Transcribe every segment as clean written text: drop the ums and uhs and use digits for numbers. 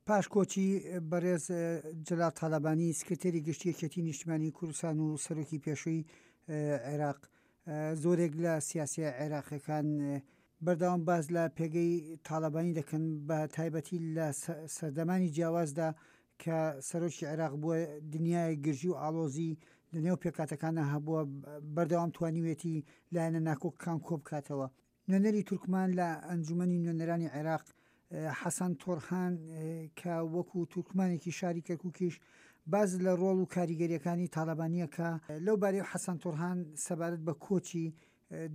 پاش کۆچی بەڕێز جەلال تاالبانی سکرتێری گشتی یەکێتی نیشتمانی کوردستان و سەرۆکی پێشووی عێراق زۆرێک لە سیاسیە عێراقیەکان بەردەوام باس لە پێگەی تاالبانی دەکەن بە تایبەتی لە سەردەمانی جیاوازدا کە سەرۆکی عێراق بووە دنیای گرژی و ئاڵۆزی لە نێو پێکاتەکانە هەبووە بەردەوام توانیوێتی لایەنە ناکۆکەکان کۆبکاتەوە. نوێنەری تورکمان لە ئەنجومەنی نوێنەرانی عێراق حەسەن تۆرهان کە وەکو تورکمانێکی شاری کەرکوکیش باس لە ڕۆڵ و کاریگەریەکانی تاڵەبانیە کە لەو بارەیەوە حەسەن تۆرهان سەبارەت بە کۆچی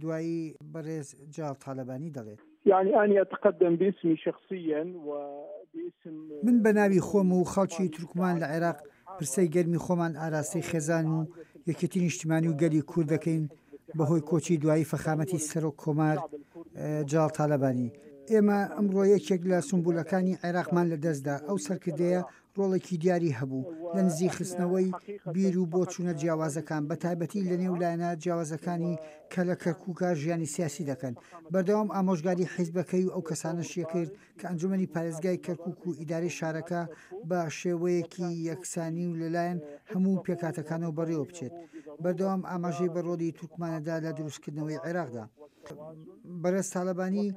دوایی بەڕێز جەلال تاڵەبانی دەڵێت. یعنی أني أتقدم باسمي شخصيا وباسم من بە ناوی خۆم و خەڵکی تورکمان لە عێراق پرسەی گەرمی خۆمان ئاراستەی خێزان و یەکێتی نیشتیمانی و گەلی کورد دەکەین بەهۆی کۆچی دوایی فەخامەتی سەرۆک کۆمار جەڵاڵ تالەبانی. ئێمە ئەمڕۆ یەکێک لە سومبولەکانی عێراقمان لەدەستدا، ئەو سەرکردەیە ڕۆڵێکی دیاری هەبوو لە نزیکخستنەوەی بیر و بۆچوونە جیاوازەکان، بەتایبەتی لەنێو لایەنە جیاوازەکانی کە لە کەرکووکا ژیانی سیاسی دەکەن. بەردەوام ئامۆژگاری حیزبەکەی و ئەو کەسانەشی کرد کە ئەنجومەنی پارێزگای کەرکوک و ئیدارەی شارەکە بە شێوەیەکی یەکسانی و لەلایەن هەموو پێکهاتەکانەوە بەڕێوە بچێت. بەردەوام ئاماژەی بە ڕۆڵی تورکمانەدا لە دروستکردنەوەی عێراقدا. بەڕێز تاڵەبانی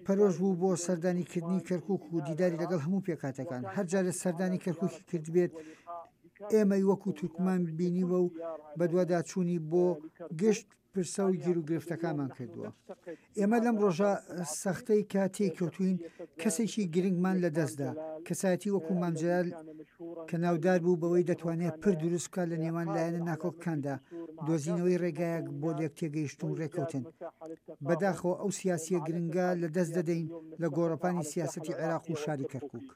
پەرۆش بوو بۆ سەردانیکردنی کەرکوک و دیداری لەگەڵ هەموو پێکهاتەکان. هەر جارێ سەردانی کەرکوکی کردبێت، ئێمەی وەکو تورکمان بینیوە و بەدواداچوونی بۆ گشت پرسە و گیروگرفتەکانمان کردووە. ئێمە لەم ڕۆژە سەختەی کە تێی کەوتووین کەسێکی گرنگمان لە دەستدا، کەسایەتی وەکو مام جەلال کە ناودار بوو بەوەی دەتوانێت پرد دروست بکات لە نێوان لایەنە ناکۆکەکاندا، دۆزینەوەی ڕێگایەک بۆ لێکتێگەیشتن و ڕێککەوتن. بەداخەوە ئەو سیاسییە گرنگە لە دەست دەدەین لە گۆڕەپانی سیاسەتی عێراق و شاری کەرکوک.